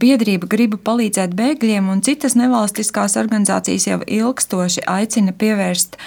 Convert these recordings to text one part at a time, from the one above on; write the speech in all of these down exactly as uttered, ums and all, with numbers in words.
Biedrība Gribu palīdzēt bēgļiem un citas nevalstiskās organizācijas jau ilgstoši aicina pievērst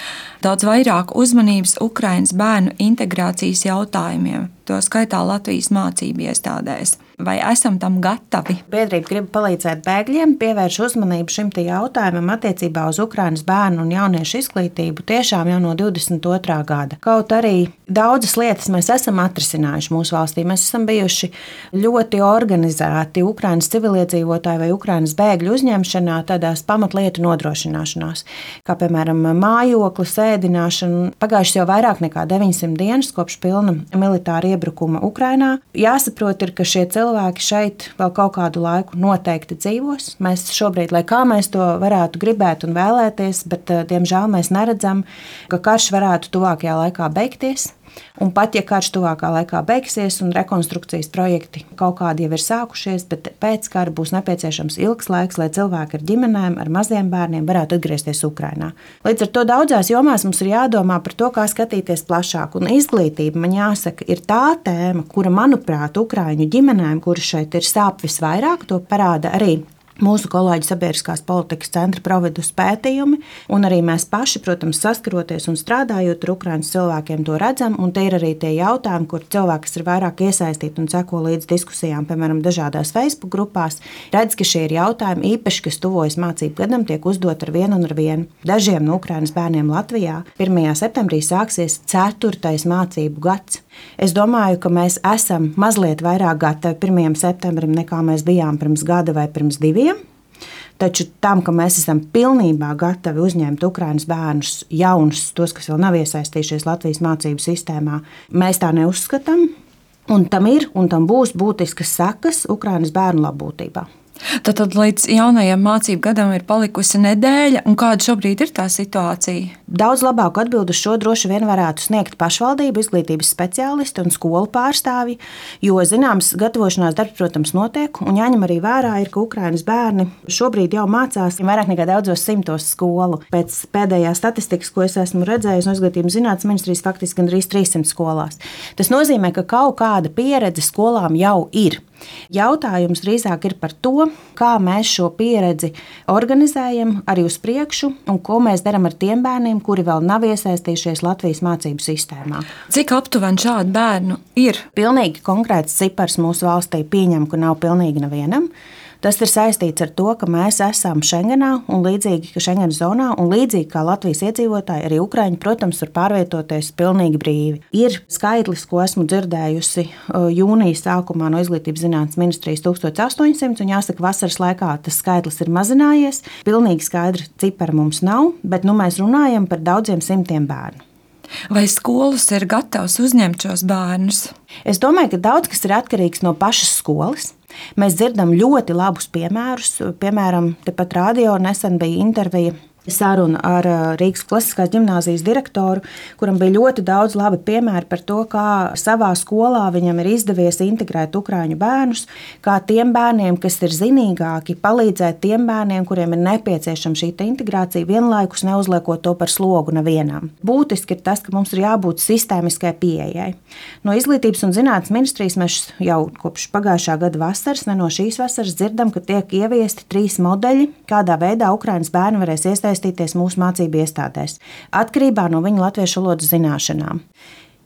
daudz vairāk uzmanības Ukrainas bērnu integrācijas jautājumiem, to skaitā Latvijas mācību iestādēs. Vai esam tam gatavi? Biedrība Gribu palīdzēt bēgļiem pievērš uzmanību šim jautājumam attiecībā uz Ukrainas bērnu un jauniešu izglītību tiešām jau no divdesmit otrā gada. Kaut arī daudzas lietas mēs esam atrisinājuši mūsu valstī. Mēs esam bijuši ļoti organizēti Ukrainas civiliedzīvotāju vai Ukrainas bēgļu uzņemšanā, tādās pamatlietu nodrošināšanās, kā piemēram mājoklis, ēdināšana. Pagājušas jau vairāk nekā deviņsimt dienas kopš pilna militāra iebrukuma Ukrainā. Jāsaprot ir, ka šie cilvēki šeit vēl kaut kādu laiku noteikti dzīvos. Mēs šobrīd, lai kā mēs to varētu gribēt un vēlēties, bet diemžēl mēs neredzam, ka karš varētu tuvākajā laikā beigties. Un pat ja karš tuvākā laikā beigsies un rekonstrukcijas projekti kaut kādi jau ir sākušies, bet pēc kara būs nepieciešams ilgs laiks, lai cilvēki ar ģimenēm, ar maziem bērniem varētu atgriezties Ukrainā. Līdz ar to daudzās jomās mums ir jādomā par to, kā skatīties plašāk. Un izglītība, man jāsaka, ir tā tēma, kura, manuprāt, ukraiņu ģimenēm, kuras šeit ir sāp visvairāk, to parāda arī mūsu kolēģi Sabiedriskās politikas centra Providus pētījumi, un arī mēs paši, protams, saskaroties un strādājot ar Ukrainas cilvēkiem, to redzam, un te ir arī tie jautājumi, kur cilvēki, kas ir vairāk iesaistīti un seko līdz diskusijām, piemēram, dažādās Facebook grupās, redz, ka šie ir jautājumi īpaši, kas tuvojas mācību gadam, tiek uzdot ar vienu un ar vienu. Dažiem no Ukrainas bērniem Latvijā pirmajā septembrī sāksies ceturtais mācību gads. Es domāju, ka mēs esam mazliet vairāk gatavi pirmajam septembrim, nekā mēs bijām pirms gada vai pirms diviem. Taču tam, ka mēs esam pilnībā gatavi uzņemt Ukrainas bērnus, jaunus, tos, kas vēl nav iesaistījušies Latvijas mācību sistēmā, mēs tā neuzskatām. Un tam ir un tam būs būtiskas sekas Ukrainas bērnu labbūtībā. Tad līdz jaunajam mācību gadam ir palikusi nedēļa, un kāda šobrīd ir tā situācija? Daudz labāku atbildi uz šo droši vien varētu sniegt pašvaldību, izglītības speciālisti un skolu pārstāvji, jo zināms gatavošanās darbs, protams, notiek, un jāņem arī vērā ir, ka Ukrainas bērni šobrīd jau mācās vairāk nekā daudzos simtos skolu. Pēc pēdējās statistikas, ko es esmu redzējis no Izglītības zinātnes ministrijas, faktiski gandrīz trīssimt skolās. Tas nozīmē, ka kaut kāda pieredze skolām jau ir. Jautājums drīzāk ir par to, kā mēs šo pieredzi organizējam arī uz priekšu un ko mēs darām ar tiem bērniem, kuri vēl nav iesaistījušies Latvijas mācību sistēmā. Cik aptuveni šādu bērnu ir? Pilnīgi konkrēts cipars mūsu valstī pieņem, ka nav pilnīgi nevienam. Tas ir saistīts ar to, ka mēs esam Schengenā un līdzīgi ka Schengenas zonā un līdzīgi kā Latvijas iedzīvotāji, arī Ukraiņi, protams, var pārvietoties pilnīgi brīvi. Ir skaitlis, ko esmu dzirdējusi jūnijas sākumā no Izglītības zinātnes ministrijas tūkstoš astoņsimt, un jāsaka, vasaras laikā tas skaitlis ir mazinājies. Pilnīgi skaidra cipara mums nav, bet nu mēs runājam par daudziem simtiem bērnu. Vai skolas ir gatavas uzņemt šos bērnus? Es domāju, ka daudz kas ir atkarīgs no pašas skolas. Mēs dzirdam ļoti labus piemērus. Piemēram, tepat radio nesen bija intervija saruna ar Rīgas klasiskās ģimnāzijas direktoru, kuram bija ļoti daudz labi piemēri par to, kā savā skolā viņam ir izdevies integrēt ukraiņu bērnus, kā tiem bērniem, kas ir zinīgāki, palīdzēt tiem bērniem, kuriem ir nepieciešama šī integrācija, vienlaikus neuzliekot to par slogu nevienam. Būtiski ir tas, ka mums ir jābūt sistēmiskai pieejai. No Izglītības un zinātnes ministrijas mēs jau kopš pagājušā gada vasaras, ne no šīs vasaras, dzirdam, ka tiek ieviesti trīs modeļi, kādā veidā Ukrainas bērni varēs iesaistīties mūsu mācību iestādēs, atkarībā no viņu latviešu valodas zināšanām.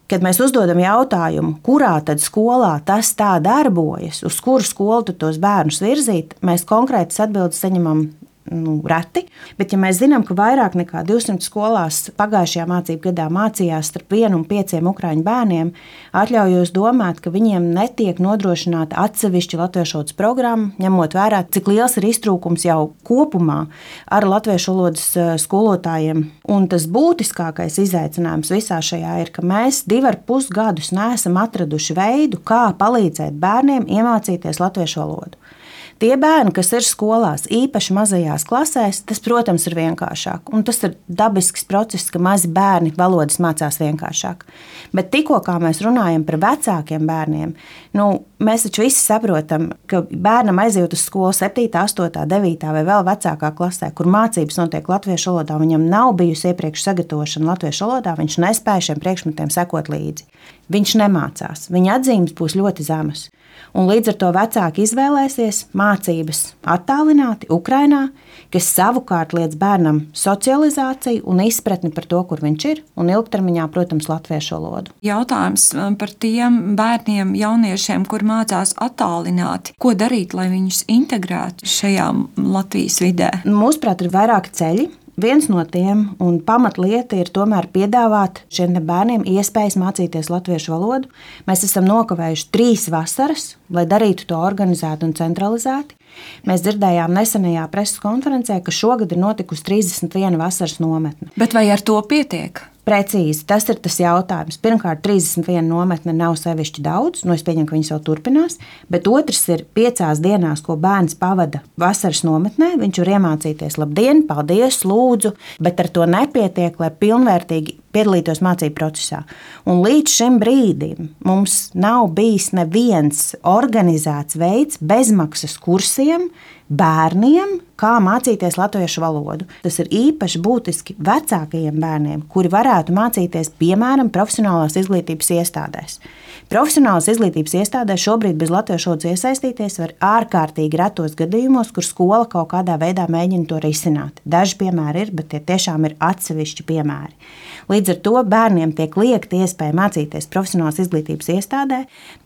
Kad mēs uzdodam jautājumu, kurā tad skolā tas tā darbojas, uz kuru skolu tad tos bērnus virzīt, mēs konkrētas atbildes saņemam nu, reti, bet ja mēs zinām, ka vairāk nekā divsimt skolās pagājušajā mācību gadā mācījās starp vienu un pieciem ukraiņu bērniem, atļaujos domāt, ka viņiem netiek nodrošināta atsevišķa latviešu valodas programma, ņemot vērā, cik liels ir iztrūkums jau kopumā ar latviešu valodas skolotājiem. Un tas būtiskākais izaicinājums visā šajā ir, ka mēs divi ar pus gadus neesam atraduši veidu, kā palīdzēt bērniem iemācīties latviešu valodu. Tie bērni, kas ir skolās, īpaši mazajās klasēs, tas, protams, ir vienkāršāk. Un tas ir dabisks process, ka mazi bērni valodas mācās vienkāršāk. Bet tikko kā mēs runājam par vecākiem bērniem, nu, mēs taču visi saprotam, ka bērnam aiziet uz skolu septītā, astotā, devītā vai vēl vecākā klasē, kur mācības notiek latviešu valodā, viņam nav bijusi iepriekš sagatavošana latviešu valodā, viņš nespēja šiem priekšmetiem sekot līdzi. Viņš nemācās, viņa atzīmes būs ļoti zemas. Un līdz ar to vecāki izvēlēsies mācības attālināti Ukrainā, kas savukārt liedz bērnam socializāciju un izpratni par to, kur viņš ir, un ilgtermiņā, protams, latviešu valodu. Jautājums par tiem bērniem, jauniešiem, kur mācās attālināti. Ko darīt, lai viņus integrētu šajā Latvijas vidē? Mūsuprāt, ir vairāki ceļi. Viens no tiem un pamatlieta ir tomēr piedāvāt šiem bērniem iespējas mācīties latviešu valodu. Mēs esam nokavējuši trīs vasaras, lai darītu to organizēti un centralizēti. Mēs dzirdējām nesenajā preses konferencē, ka šogad ir notikusi trīsdesmit viena vasaras nometne. Bet vai ar to pietiek? Precīzi, tas ir tas jautājums. Pirmkārt, trīsdesmit viena nometne nav sevišķi daudz, nu es pieņemu, ka viņas vēl turpinās, bet otrs ir piecās dienās, ko bērns pavada vasaras nometnē, viņš var iemācīties labdien, paldies, lūdzu, bet ar to nepietiek, lai pilnvērtīgi piedalītos mācību procesā. Un līdz šim brīdim mums nav bijis neviens organizēts veids bezmaksas kursiem bērniem, kā mācīties latviešu valodu. Tas ir īpaši būtiski vecākajiem bērniem, kuri varētu mācīties, piemēram, profesionālās izglītības iestādēs. Profesionālās izglītības iestādēs šobrīd bez latviešu valodas iesaistīties var ārkārtīgi retos gadījumos, kur skola kaut kādā veidā mēģina to risināt. Daži piemēri ir, bet tie tiešām ir atsevišķi piemēri. Līdz ar to bērniem tiek liekta iespēja mācīties profesionālās izglītības iestādē.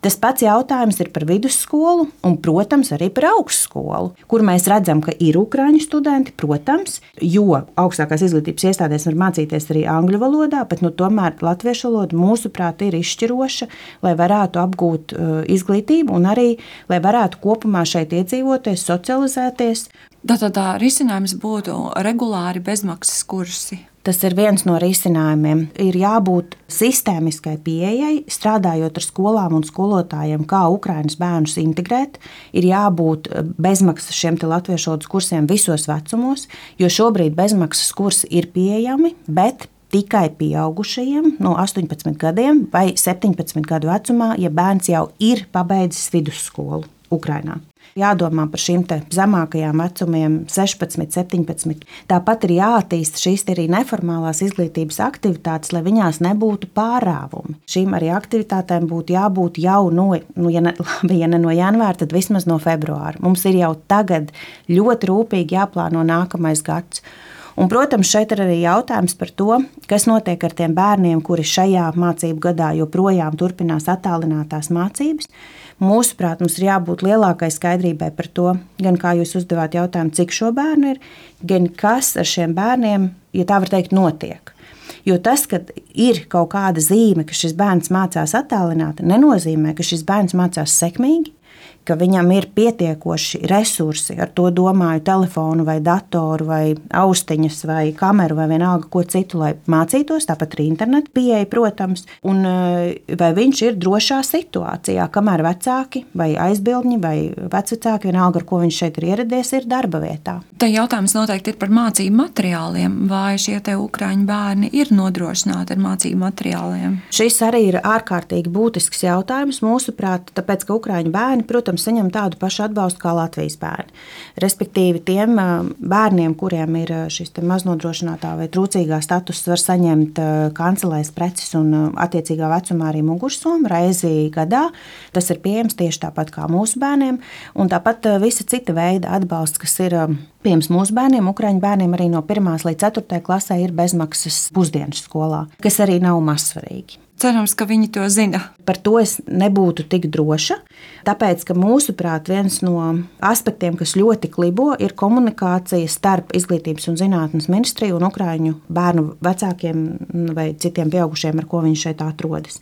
Tas pats jautājums ir par vidusskolu un, protams, arī par augstskolu, kur mēs redzam, ka ir ukraiņu studenti, protams, jo augstākās izglītības iestādēs var mācīties arī angļu valodā, bet nu, tomēr latviešu valoda mūsuprāt ir izšķiroša, lai varētu apgūt uh, izglītību un arī, lai varētu kopumā šeit iedzīvoties, socializēties. Tātad tā risinājums būtu regulāri bezmaksas kursi. Tas ir viens no risinājumiem. Ir jābūt sistēmiskai pieejai, strādājot ar skolām un skolotājiem, kā Ukrainas bērnus integrēt. Ir jābūt bezmaksas šiem latviešu valodas kursiem visos vecumos, jo šobrīd bezmaksas kursi ir pieejami, bet tikai pieaugušajiem no astoņpadsmit gadiem vai septiņpadsmit gadu vecumā, ja bērns jau ir pabeidzis vidusskolu Ukrainā. Jādomā par šīm zemākajām vecumiem, sešpadsmit, septiņpadsmit. Tāpat ir jāattīsta šīs arī neformālās izglītības aktivitātes, lai viņās nebūtu pārāvumi. Šīm arī aktivitātēm būtu jābūt jau no, nu, ja, ne, labi, ja ne no janvāra, tad vismaz no februāra. Mums ir jau tagad ļoti rūpīgi jāplāno nākamais gads. Un, protams, šeit ir arī jautājums par to, kas notiek ar tiem bērniem, kuri šajā mācību gadā joprojām turpinās attālinātās mācības. Mūsuprāt, mums ir jābūt lielākai skaidrībai par to, gan kā jūs uzdevāt jautājumu, cik šo bērnu ir, gan kas ar šiem bērniem, ja tā var teikt, notiek. Jo tas, ka ir kaut kāda zīme, ka šis bērns mācās attālināti, nenozīmē, ka šis bērns mācās sekmīgi, ka viņam ir pietiekoši resursi, ar to domāju telefonu vai datoru vai austiņas vai kameru vai vienalga ko citu, lai mācītos, tāpat arī internetu pieeja, protams, un vai viņš ir drošā situācijā, kamēr vecāki vai aizbildņi vai vecvecāki, vienalga, ar ko viņš šeit ir ieradies, ir darba vietā. Te jautājums noteikti ir par mācību materiāliem, vai šie te ukraiņu bērni ir nodrošināti ar mācību materiāliem? Šis arī ir ārkārtīgi būtisks jautājums mūsuprāt, tāpēc, ka ukraiņu bērni, protams, saņem tādu pašu atbalstu kā Latvijas bērni. Respektīvi, tiem bērniem, kuriem ir šis maznodrošinātā vai trūcīgā status, var saņemt kancelēs preces un attiecīgā vecumā arī mugursomu reizi gadā. Tas ir pieejams tieši tāpat kā mūsu bērniem, un tāpat visa cita veida atbalsts, kas ir pieejams mūsu bērniem, ukraiņu bērniem arī no pirmās līdz ceturtajai klasē ir bezmaksas pusdienas skolā, kas arī nav mazsvarīgi. Cerams, ka viņi to zina. Par to es nebūtu tik droša, tāpēc, ka mūsuprāt viens no aspektiem, kas ļoti klibo, ir komunikācija starp Izglītības un zinātnes ministriju un ukraiņu bērnu vecākiem vai citiem pieaugušiem, ar ko viņi šeit atrodas.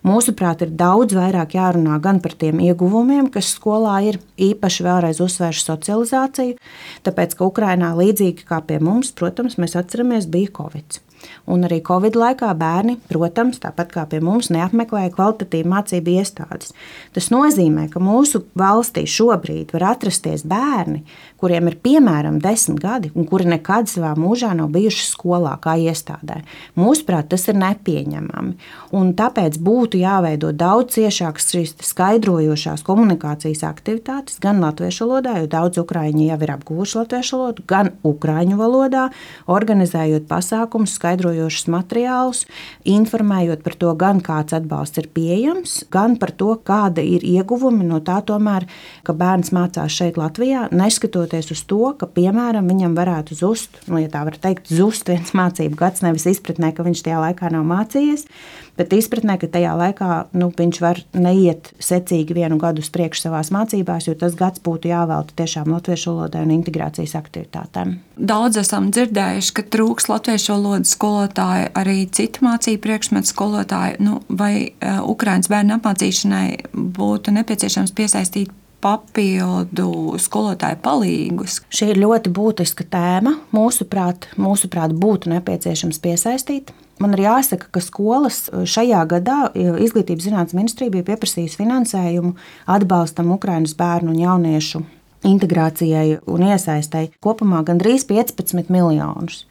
Mūsuprāt, ir daudz vairāk jārunā gan par tiem ieguvumiem, kas skolā ir, īpaši vēlreiz uzsvēršu socializāciju, tāpēc, ka Ukrainā līdzīgi kā pie mums, protams, mēs atceramies, bija Covid. Un arī Covid laikā bērni, protams, tāpat kā pie mums, neapmeklēja kvalitatīvu mācību iestādes. Tas nozīmē, ka mūsu valstī šobrīd var atrasties bērni, kuriem ir piemēram desmit gadi un kuri nekad savā mūžā nav bijuši skolā kā iestādē. Mūsuprāt, tas ir nepieņemami. Un tāpēc būtu jāveido daudz ciešākas šīs skaidrojošās komunikācijas aktivitātes gan latviešu valodā, jo daudz ukraiņi jau ir apguvuši latviešu valodu, gan ukraiņu valodā, organizējot pasākumus, skaidrojot skaidrojošus materiālus, informējot par to, gan kāds atbalsts ir pieejams, gan par to, kāda ir ieguvumi no tā, tomēr, ka bērns mācās šeit Latvijā, neskatoties uz to, ka, piemēram, viņam varētu zust, nu, ja tā var teikt, zust viens mācību gads, nevis izpratnē, ka viņš tajā laikā nav mācījies, bet izpratnē, ka tajā laikā nu, viņš var neiet secīgi vienu gadu uz priekšu savās mācībās, jo tas gads būtu jāvelta tiešām latviešu valodai un integrācijas aktivitātēm. Daudz esam dzirdējuši, ka trūks latviešu valodas skolotāju, arī citu mācību priekšmetu skolotāju. Nu, vai uh, Ukrainas bērnu apmācīšanai būtu nepieciešams piesaistīt papildu skolotāju palīgus? Šī ir ļoti būtiska tēma. Mūsuprāt, mūsuprāt būtu nepieciešams piesaistīt. Man ir jāsaka, ka skolas šajā gadā Izglītības zinātnes ministrija bija pieprasījusi finansējumu atbalstam Ukrainas bērnu un jauniešu integrācijai un iesaistei kopumā gandrīz piecpadsmit miljonus.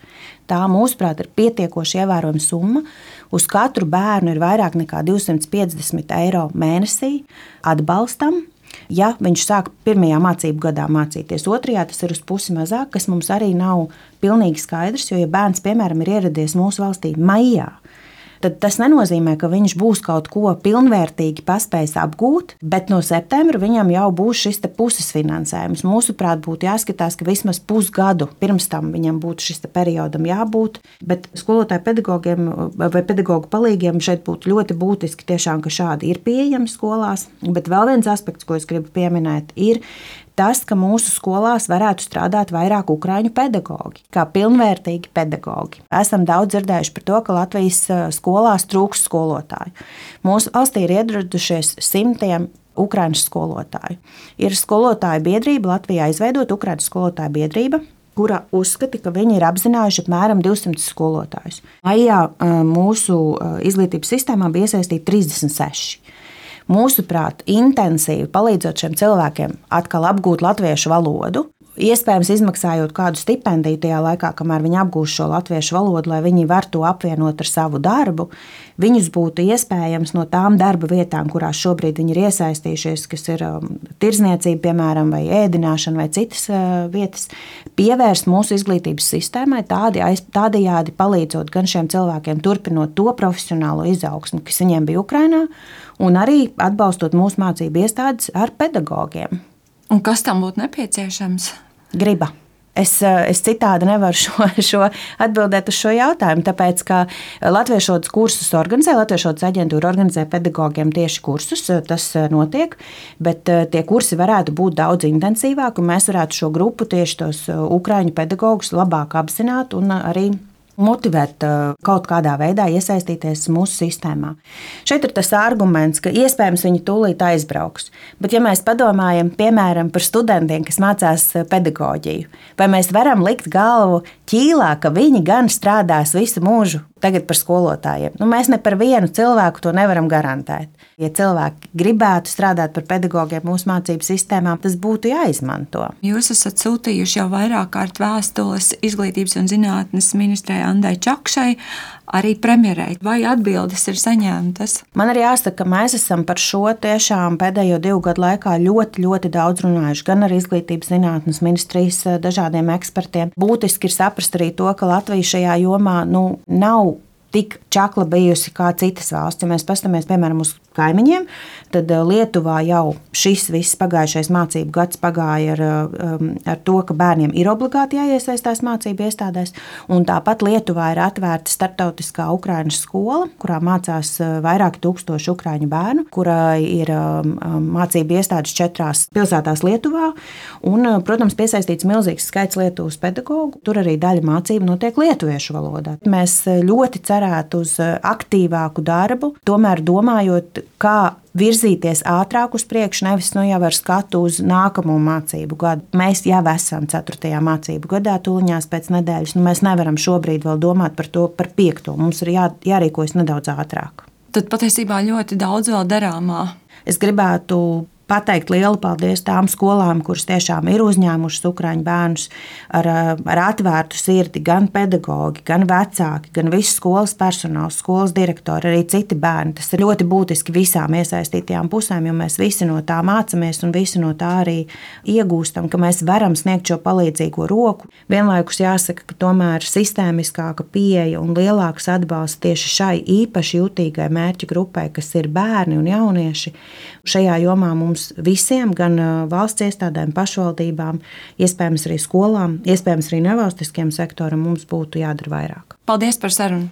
Tā, mūsuprāt, ir pietiekoši ievērojama summa. Uz katru bērnu ir vairāk nekā divsimt piecdesmit eiro mēnesī atbalstam. Ja viņš sāk pirmajā mācību gadā mācīties, otrajā tas ir uz pusi mazāk, kas mums arī nav pilnīgi skaidrs, jo, ja bērns, piemēram, ir ieradies mūsu valstī maijā, tad tas nenozīmē, ka viņš būs kaut ko pilnvērtīgi paspējis apgūt, bet no septembra viņam jau būs šis puses finansējums. Mūsuprāt, būtu jāskatās, ka vismaz pusgadu pirms tam viņam būtu šis periodam jābūt, bet skolotāju pedagogiem vai pedagogu palīgiem šeit būtu ļoti būtiski tiešām, ka šādi ir pieejami skolās, bet vēl viens aspekts, ko es gribu pieminēt, ir tas, ka mūsu skolās varētu strādāt vairāk ukraiņu pedagogi, kā pilnvērtīgi pedagogi. Esam daudz dzirdējuši par to, ka Latvijas skolās trūkst skolotāju. Mūsu valstī ir ieradušies simtiem ukraiņu skolotāju. Ir skolotāju biedrība, Latvijā izveidota Ukraiņu skolotāju biedrība, kura uzskata, ka viņi ir apzinājuši apmēram divsimt skolotājus. Maijā mūsu izglītības sistēmā bija iesaistīti trīsdesmit seši. Mūsuprāt, intensīvi palīdzot šiem cilvēkiem atkal apgūt latviešu valodu, iespējams izmaksājot kādu stipendiju tajā laikā, kamēr viņi apgūst šo latviešu valodu, lai viņi var to apvienot ar savu darbu, viņus būtu iespējams no tām darba vietām, kurās šobrīd viņi ir iesaistījušies, kas ir tirzniecība, piemēram, vai ēdināšana vai citas vietas, pievērst mūsu izglītības sistēmai, tādi, tādējādi palīdzot gan šiem cilvēkiem turpinot to profesionālo izaugsmu, kas viņiem bija Ukrainā, un arī atbalstot mūsu mācību iestādes ar pedagogiem. Un kas tam būtu nepieciešams? Griba. Es, es citādi nevaru šo, šo atbildēt uz šo jautājumu, tāpēc, ka latviešu valodas kursus organizē, latviešu valodas aģentūra organizē pedagogiem tieši kursus, tas notiek, bet tie kursi varētu būt daudz intensīvāk, un mēs varētu šo grupu tieši tos ukraiņu pedagogus labāk apzināt un arī motivēt kaut kādā veidā iesaistīties mūsu sistēmā. Šeit ir tas arguments, ka iespējams viņi tūlīt aizbrauks. Bet ja mēs padomājam, piemēram, par studentiem, kas mācās pedagoģiju, vai mēs varam likt galvu ķīlā, ka viņi gan strādās visu mūžu tagad par skolotājiem? Nu, mēs ne par vienu cilvēku to nevaram garantēt. Ja cilvēki gribētu strādāt par pedagogiem mūsu mācību sistēmām, tas būtu jāizmanto. Jūs esat sūtījuši jau vairāk kārt vēstules Izglītības un zinātnes ministrei Andai Čakšai, arī premjerei. Vai atbildes ir saņemtas? Man arī jāsaka, ka mēs esam par šo tiešām pēdējo divu gadu laikā ļoti, ļoti daudz runājuši, gan ar Izglītības zinātnes ministrijas dažādiem ekspertiem. Būtiski ir saprast arī to, ka Latvija šajā jomā nu, nav tik čakla bijusi kā citas valsts. Ja mēs paskatāmies, piemēram, uz kaimiņiem, tad Lietuvā jau šis viss pagājušais mācību gads pagāja ar, ar to, ka bērniem ir obligāti jāiesaistās mācību iestādēs, un tāpat Lietuvā ir atvērta starptautiskā ukraiņu skola, kurā mācās vairāki tūkstoši ukraiņu bērnu, kurā ir mācību iestādes četrās pilsētās Lietuvā, un, protams, piesaistīts milzīgs skaits Lietuvas pedagogu. Tur arī daļa mācību notiek lietuviešu valodā. Mēs ļoti cerētu uz aktīvāku darbu, tomēr domājot, kā virzīties ātrāk uz priekšu, nevis nu jau ar skatu uz nākamo mācību gadu. Mēs jau esam ceturtajā mācību gadā, tūliņās pēc nedēļas. Nu, mēs nevaram šobrīd vēl domāt par to, par piekto. Mums ir jā, jārīkojas nedaudz ātrāk. Tad patiesībā ļoti daudz vēl darāmā. Es gribētu pateikt lielu paldies tām skolām, kuras tiešām ir uzņēmušas ukraiņu bērnus ar, ar atvērtu sirdi. Gan pedagogi, gan vecāki, gan viss skolas personāls, skolas direktori, arī citi bērni. Tas ir ļoti būtiski visām iesaistītajām pusēm, jo mēs visi no tā mācāmies un visi no tā arī iegūstam, ka mēs varam sniegt šo palīdzīgo roku. Vienlaikus jāsaka, ka tomēr sistēmiskāka pieeja un lielāks atbalsts tieši šai īpaši jutīgai mērķu grupai, kas ir bērni un jaunieši. Šajā jomā mums visiem, gan valsts iestādēm, pašvaldībām, iespējams arī skolām, iespējams arī nevalstiskiem sektoram, mums būtu jādara vairāk. Paldies par sarunu!